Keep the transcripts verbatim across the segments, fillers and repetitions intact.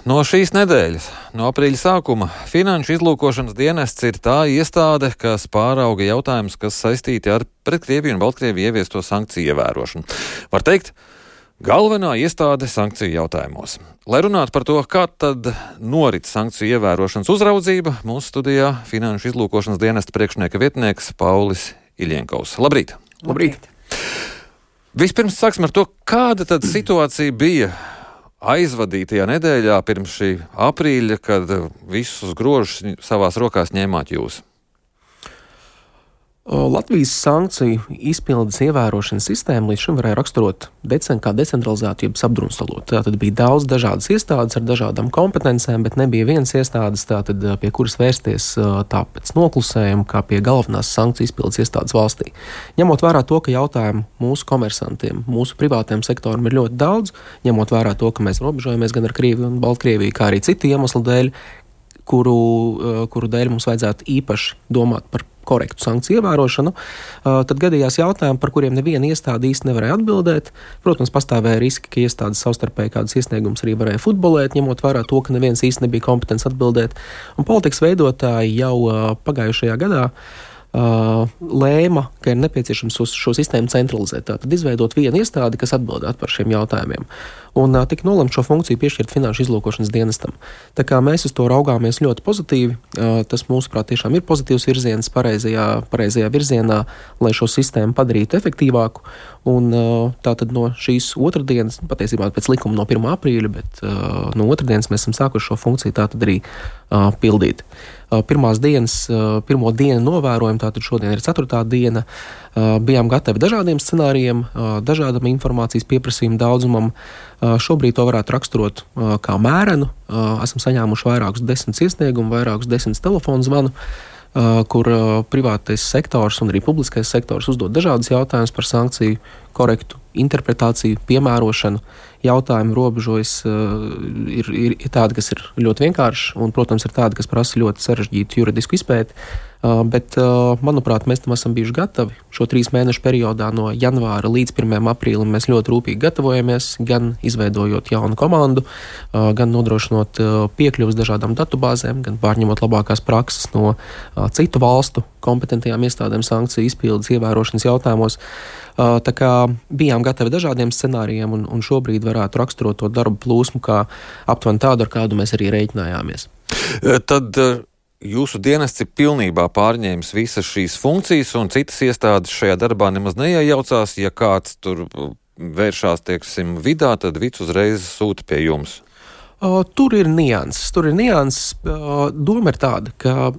No šīs nedēļas, no aprīļa sākuma, Finanšu izlūkošanas dienests ir tā iestāde, kas pārauga jautājumus, kas saistīti ar pret Krieviju un Baltkrieviju ieviesto sankciju ievērošanu. Var teikt, galvenā iestāde sankciju jautājumos. Lai runātu par to, kā tad norit sankciju ievērošanas uzraudzība, mūsu studijā Finanšu izlūkošanas dienesta priekšnieka vietnieks Paulis Iļienkovs. Labrīt! Labrīt! Vispirms sāksim ar to, kāda tad situācija bija aizvadītajā nedēļā pirms šī aprīļa, kad visus grožus savās rokās ņēmāt jūs. Latvijas sankciju izpildes ievērošanas sistēmu līdz šim varēja raksturot decen, kā decentralizētu, jeb apdrumstalot. Tātad bija daudz dažādas iestādes ar dažādām kompetencēm, bet nebija vienas iestādes, tātad, pie kuras vērsties tā pēc noklusējuma, kā pie galvenās sankciju izpildes iestādes valstī. Ņemot vērā to, ka jautājumu mūsu komersantiem, mūsu privātiem sektoram ir ļoti daudz, ņemot vērā to, ka mēs robežojamies gan ar Krieviju un Baltkrieviju, kā arī citu iemeslu dēļ, kuru, kuru dēļ mums vajadzētu īpaši domāt par korektu sankciju ievērošanu, tad gadījās jautājumi, par kuriem neviena iestāde īsti nevarēja atbildēt. Protams, pastāvēja riski, ka iestādes savstarpēji kādas iesniegumus arī varēja futbolēt, ņemot vērā to, ka neviens īsti nebija kompetents atbildēt. Un politikas veidotāji jau pagājušajā gadā Uh, lēma, ka ir nepieciešams šo sistēmu centralizēt, tātad izveidot vienu iestādi, kas atbildētu par šiem jautājumiem. Un uh, tika nolemts šo funkciju piešķirt Finanšu izlūkošanas dienestam. Tā kā mēs uz to raugāmies ļoti pozitīvi, uh, tas mūsuprāt tiešām ir pozitīvs virziens pareizajā, pareizajā virzienā, lai šo sistēmu padarītu efektīvāku. Un uh, tātad no šīs otrdienas, patiesībā pēc likuma no pirmā aprīļa, bet uh, no otrdienas mēs esam sākuši šo funkciju tātad arī uh, pildīt. Uh, pirmās dienas, uh, pirmo dienu novērojumu, tātad šodien ir ceturtā diena, uh, bijām gatavi dažādiem scenārijiem, uh, dažādam informācijas pieprasījumu daudzumam. Uh, šobrīd to varētu raksturot uh, kā mērenu. Uh, esam saņēmuši vairākus desmit iesniegumu, vairākus desmit telefonu zvanu, uh, kur uh, privātais sektors un arī publiskais sektors uzdod dažādas jautājumus par sankciju korektu interpretāciju, piemērošanu. Jautājumi robežojas uh, ir, ir, ir tādi, kas ir ļoti vienkārši, un, protams, ir tādi, kas prasa ļoti sarežģītu juridisku izpēti. Uh, bet, uh, manuprāt, mēs tam esam bijuši gatavi. Šo trīs mēnešu periodā no janvāra līdz pirmajam aprīlim mēs ļoti rūpīgi gatavojamies, gan izveidojot jaunu komandu, uh, gan nodrošinot uh, piekļuvas dažādām datubāzēm, gan pārņemot labākās prakses no uh, citu valstu kompetentajām iestādēm sankciju izpildes ievērošanas jautājumos. Uh, tā kā bijām gatavi dažādiem scenārijiem, un, un šobrīd varētu raksturot to darbu plūsmu kā aptuveni tādu, ar kādu mēs arī rēķinājāmies. Tad jūsu dienests ir pilnībā pārņēmis visas šīs funkcijas, un citas iestādes šajā darbā nemaz neiejaucās. Ja kāds tur vēršās, tieksim, vidā, tad vids uzreiz sūta pie jums. Uh, tur ir nianses. Tur ir nianses. Uh, doma ir tāda, ka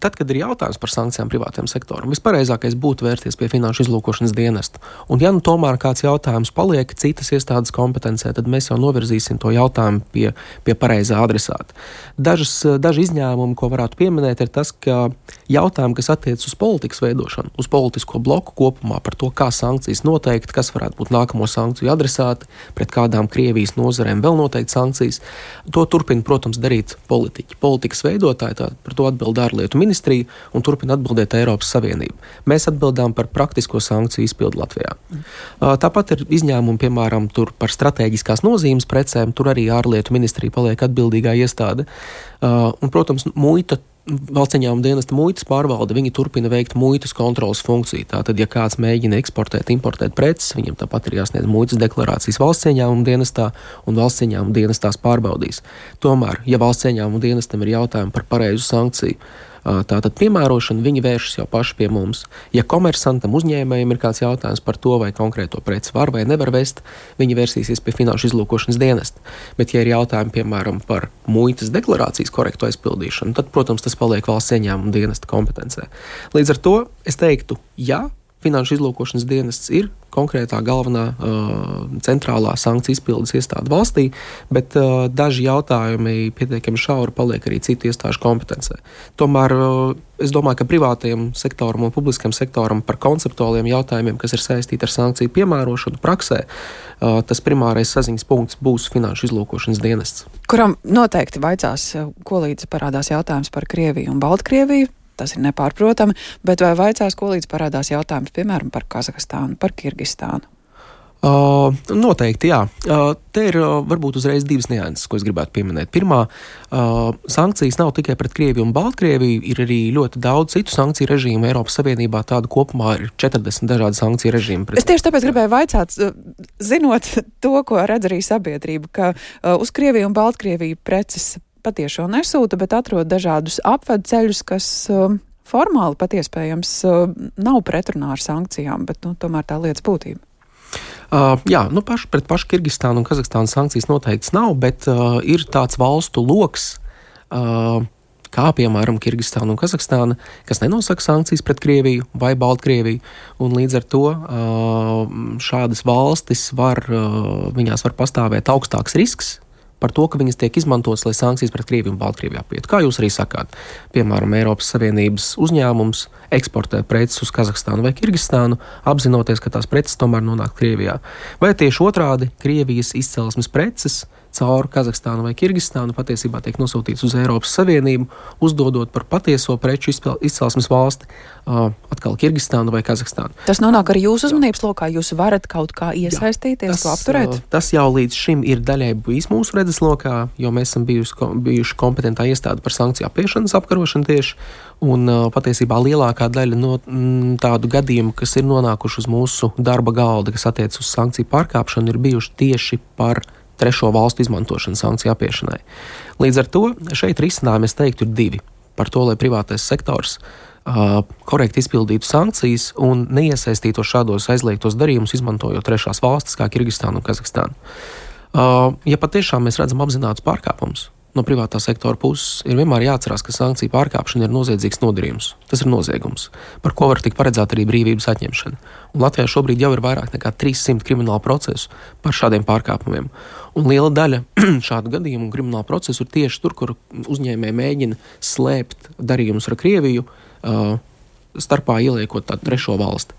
tad, kad ir jautājums par sankcijām privātajam sektoram, vispareizākais būtu vērsties pie Finanšu izlūkošanas dienesta. Un ja nu tomēr kāds jautājums paliek citas iestādes kompetencē, tad mēs jau novirzīsim to jautājumu pie, pie pareizā adresāta. Dažas, daži izņēmumi, ko varētu pieminēt, ir tas, ka jautājumi, kas attiec uz politikas veidošanu, uz politisko bloku kopumā, par to, kā sankcijas noteikt, kas varētu būt nākamo sankciju adresāti, pret kādām Krievijas nozarēm vēl noteikti sankcijas, to turpina, protams, darīt politiķi. Politikas veidotāji, tā, par to atbild ārlietu ministrija un turpina atbildēt Eiropas Savienība. Mēs atbildām par praktisko sankciju izpildu Latvijā. Tāpat ir izņēmumi, piemēram, tur par strateģiskās nozīmes precēm, tur arī ārlietu ministrija paliek atbildīgā iestāde. Un, protams, muita, valsts ieņēmuma dienesta muitas pārvalde, viņi turpina veikt muitas kontrolas funkciju. Tātad, ja kāds mēģina eksportēt, importēt preces, viņam tāpat ir jāsniedz muitas deklarācijas valsts ieņēmuma dienestā, un valsts ieņēmuma dienestās pārbaudīs. Tomēr, ja valsts ieņēmuma dienestam ir jautājumi par pareizu sankciju, tātad piemērošanu, viņi vēršas jau paši pie mums. Ja komersantam, uzņēmējiem ir kāds jautājums par to, vai konkrēto preci var vai nevar vest, viņi vērsīsies pie Finanšu izlūkošanas dienesta. Bet, ja ir jautājumi, piemēram, par muitas deklarācijas korektu aizpildīšanu, tad, protams, tas paliek valsts ieņēmuma dienesta kompetencē. Līdz ar to es teiktu, jā, Finanšu izlūkošanas dienests ir konkrētā galvenā uh, centrālā sankciju izpildes iestāde valstī, bet uh, daži jautājumi pietiekami šauri paliek arī citu iestāžu kompetencē. Tomēr uh, es domāju, ka privātajam sektoram un publiskam sektoram par konceptuāliem jautājumiem, kas ir saistīti ar sankciju piemērošanu praksē, uh, tas primārais saziņas punkts būs Finanšu izlūkošanas dienests. Kuram noteikti vaicās, ko līdz parādās jautājums par Krieviju un Baltkrieviju. Tas ir nepārprotami, bet vai vaicās, ko līdz parādās jautājums, piemēram, par Kazahstānu, par Kirgistānu? Uh, noteikti, jā. Uh, te ir uh, varbūt uzreiz divas nianses, ko es gribētu pieminēt. Pirmā, uh, sankcijas nav tikai pret Krieviju un Baltkrieviju, ir arī ļoti daudz citu sankciju režīmu. Eiropas Savienībā tādu kopumā ir četrdesmit dažādi sankciju režīmi. Pret... Es tieši tāpēc gribēju vaicāt, zinot to, ko redz arī sabiedrība, ka uh, uz Krieviju un Baltkrieviju preces patiešo nesūta, bet atrod dažādus apvedceļus, kas uh, formāli patiespējams uh, nav pretrunā ar sankcijām, bet nu, tomēr tā lietas būtība. Uh, jā, nu paši pret pašu Kirgistānu un Kazahstānu sankcijas noteikts nav, bet uh, ir tāds valstu loks, uh, kā piemēram Kirgistāna un Kazahstāna, kas nenosaka sankcijas pret Krieviju vai Baltkrieviju, un līdz ar to uh, šādas valstis var, uh, viņās var pastāvēt augstāks risks par to, ka viņas tiek izmantotas, lai sankcijas pret Krieviju un Baltkrieviju apietu. Kā jūs arī sakāt, piemēram, Eiropas Savienības uzņēmums eksportē preces uz Kazahstānu vai Kirgistānu, apzinoties, ka tās preces tomēr nonāk Krievijā. Vai tieši otrādi, Krievijas izcelsmes preces caur Kazahstānu vai Kirgistānu patiesībā tiek nosūtīts uz Eiropas Savienību, uzdodot par patieso preču izcelsmes valsti, uh, atkal Kirgistānu vai Kazahstānu. Tas nonāk arī jūsu uzmanības lokā, jūs varat kaut kā iesaistīties, jā, tas, to apturēt? Uh, tas jau līdz šim ir daļai bijis mūsu redzeslokā, jo mēs esam bijuši, bijuši kompetentā iestāde par sankciju apiešanas apkarošanu tieši, un uh, patiesībā lielākā daļa no m, tādu gadījumu, kas ir nonākuši uz mūsu darba galda, kas attiec uz sankciju pārkāpšanu, ir bijuši tieši par trešo valstu izmantošanu sankciju apiešanai. Līdz ar to šeit risinājumi, es teiktu, ir divi. Par to, lai privātais sektors uh, korekti izpildītu sankcijas un neiesaistītos šādos aizliegtos darījumus, izmantojot trešās valstis kā Kirgistānu un Kazahstānu. Uh, ja patiešām mēs redzam apzinātus pārkāpumus no privātā sektora puses, ir vienmēr jāatcerās, ka sankciju pārkāpšana ir noziedzīgs nodarījums. Tas ir noziegums, par ko var tikt paredzēta arī brīvības atņemšana. Un Latvijā šobrīd jau ir vairāk nekā trīssimti kriminālu procesu par šādiem pārkāpumiem. Un liela daļa šādu gadījumu un kriminālu procesu ir tieši tur, kur uzņēmēji mēģina slēpt darījumus ar Krieviju, uh, starpā ieliekot tādu trešo valsti.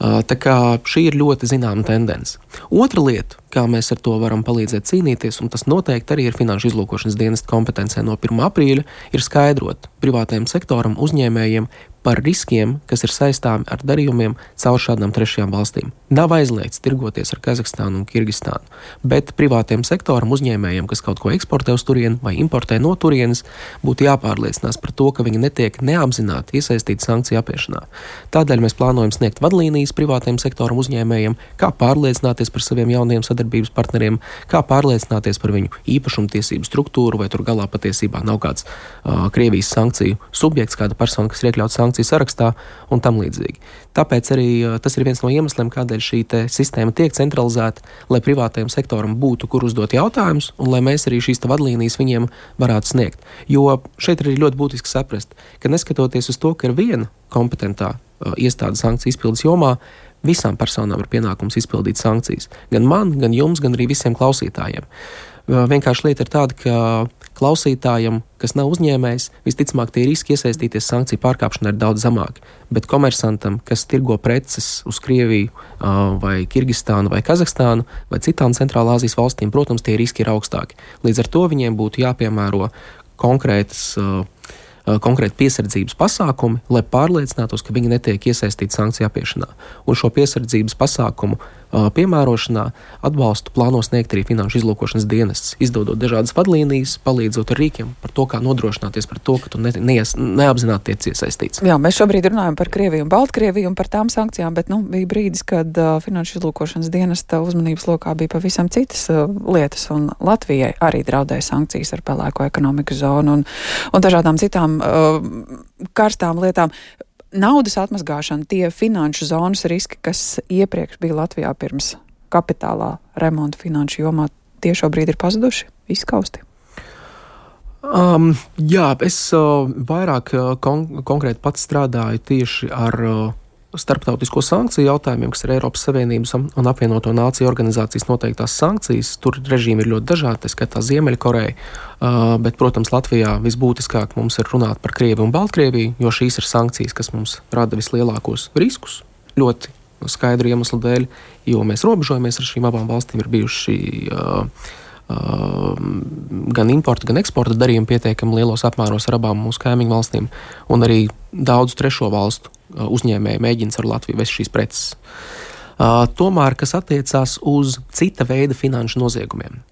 Uh, tā kā šī ir ļoti zināma tendence. Otra lieta, kā mēs ar to varam palīdzēt cīnīties, un tas noteikti arī ir Finanšu izlūkošanas dienesta kompetencē no pirmā aprīļa, ir skaidrot privātajam sektoram, uzņēmējiem par riskiem, kas ir saistāmi ar darījumiem caur šādām trešajām valstīm. Nav aizliegts tirgoties ar Kazahstānu un Kirgistānu, bet privātajam sektoram, uzņēmējiem, kas kaut ko eksportē uz turieni vai importē no turienes, būtu jāpārliecinās par to, ka viņi netiek neapzināti iesaistīti sankciju apiešanā. Tādēļ mēs plānojam sniegt vadlīnijas privātajam sektoram, uzņēmējiem, kā pārliecināties par saviem jauniem sadarbības partneriem, kā pārliecināties par viņu īpašumtiesību struktūru, vai tur galā patiesībā nav kāds uh, Krievijas sankciju subjekts, kāda persona, kas ir iekļauts sankciju sarakstā un tam līdzīgi. Tāpēc arī uh, tas ir viens no iemesliem, kādēļ šī te sistēma tiek centralizēta, lai privātajam sektoram būtu, kur uzdot jautājumus, un lai mēs arī šīs te vadlīnijas viņiem varētu sniegt. Jo šeit ir ļoti būtiski saprast, ka neskatoties uz to, ka ir viena kompetentā uh, iestāde sankciju izpildes jomā, visām personām ir pienākums izpildīt sankcijas. Gan man, gan jums, gan arī visiem klausītājiem. Vienkārši lieta ir tāda, ka klausītājam, kas nav uzņēmējs, visticamāk tie riski iesaistīties sankciju pārkāpšanā ir daudz zemāki. Bet komersantam, kas tirgo preces uz Krieviju vai Kirgistānu vai Kazahstānu vai citām Centrālā Āzijas valstīm, protams, tie riski ir augstāki. Līdz ar to viņiem būtu jāpiemēro konkrētas konkrēti piesardzības pasākumi, lai pārliecinātos, ka viņi netiek iesaistīti sankciju apiešanā. Un šo piesardzības pasākumu uh, piemērošanā atbalstu plāno sniegt arī Finanšu izlūkošanas dienests, izdodot dažādas vadlīnijas, palīdzot ar rīkiem par to, kā nodrošināties par to, ka tu ne, neies, neapzināti tiec iesaistīts. Jā, mēs šobrīd runājam par Krieviju un Baltkrieviju un par tām sankcijām, bet nu, bija brīdis, kad uh, Finanšu izlūkošanas dienesta uzmanības lokā bija pavisam citas uh, lietas, un Latvijai arī draudēja sankcijas ar pelēko ekonomikas zonu un, un dažādām citām karstām lietām. Naudas atmazgāšana, tie finanšu zonas riski, kas iepriekš bija Latvijā pirms kapitālā remonta finanšu jomā, tie šobrīd ir pazuduši, izskausti? Um, jā, es uh, vairāk uh, kon- konkrēti pats strādāju tieši ar uh, starptautisko sankciju jautājumiem, kas ir Eiropas Savienības un apvienoto nāciju organizācijas noteiktās sankcijas. Tur režīmi ir ļoti dažādi, tā skaitā Ziemeļkoreja, uh, bet, protams, Latvijā visbūtiskāk mums ir runāt par Krieviju un Baltkrieviju, jo šīs ir sankcijas, kas mums rada vislielākos riskus, ļoti skaidru iemeslu dēļ, jo mēs robežojamies ar šīm abām valstīm, ir bijuši uh, Uh, gan importa, gan eksporta darījumi pietiekami lielos apmēros ar abām mūsu kaimiņu valstīm, un arī daudzu trešo valstu uh, uzņēmēji mēģina ar Latviju vest šīs preces. Uh, tomēr, kas attiecās uz cita veida finanšu noziegumiem,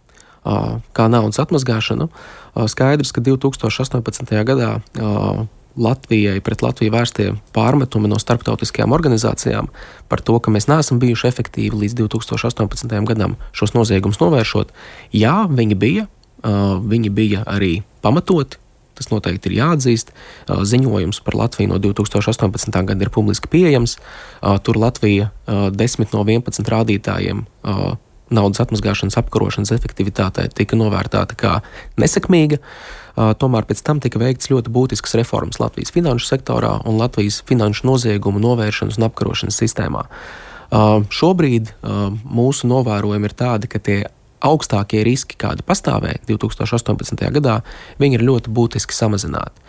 uh, kā naudas atmazgāšanu, uh, skaidrs, ka divi tūkstoši astoņpadsmitajā gadā uh, Latvijai pret Latviju vērstie pārmetumi no starptautiskajām organizācijām par to, ka mēs neesam bijuši efektīvi līdz divi tūkstoši astoņpadsmitajam gadam šos noziegumus novēršot. Jā, viņi bija, uh, viņi bija arī pamatoti, tas noteikti ir jāatzīst. Uh, ziņojums par Latviju no divi tūkstoši astoņpadsmitā gada ir publiski pieejams. Uh, tur Latvija uh, desmit no vienpadsmit rādītājiem uh, naudas atmazgāšanas apkarošanas efektivitātei tika novērtēta kā nesekmīga. Uh, tomēr pēc tam tika veikts ļoti būtisks reformas Latvijas finanšu sektorā un Latvijas finanšu noziegumu novēršanas un apkarošanas sistēmā. Uh, šobrīd uh, mūsu novērojumi ir tādi, ka tie augstākie riski, kādi pastāvēja divi tūkstoši astoņpadsmitajā gadā, viņi ir ļoti būtiski samazināti.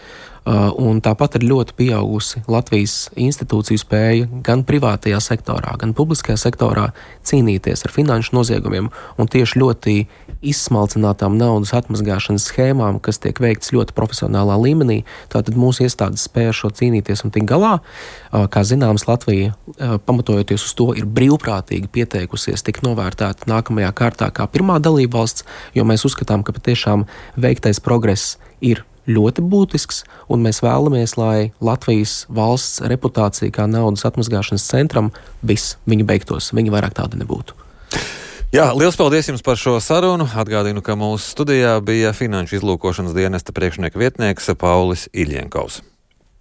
Uh, un tāpat ir ļoti pieaugusi Latvijas institūciju spēja gan privātajā sektorā, gan publiskajā sektorā cīnīties ar finanšu noziegumiem un tieši ļoti izsmalcinātām naudas atmazgāšanas schēmām, kas tiek veikts ļoti profesionālā līmenī. Tātad mūsu iestādes spēja šo cīnīties un tikt galā. Uh, kā zināms, Latvija, uh, pamatojoties uz to, ir brīvprātīgi pieteikusies tikt novērtēta nākamajā kārtā kā pirmā dalība valsts, jo mēs uzskatām, ka patiešām veiktais progress ir ļoti būtisks, un mēs vēlamies, lai Latvijas valsts reputācija kā naudas atmazgāšanas centram viss viņa beigtos, viņa vairāk tāda nebūtu. Jā, liels paldies jums par šo sarunu. Atgādinu, ka mūsu studijā bija Finanšu izlūkošanas dienesta priekšnieka vietnieks Paulis Iļienkovs.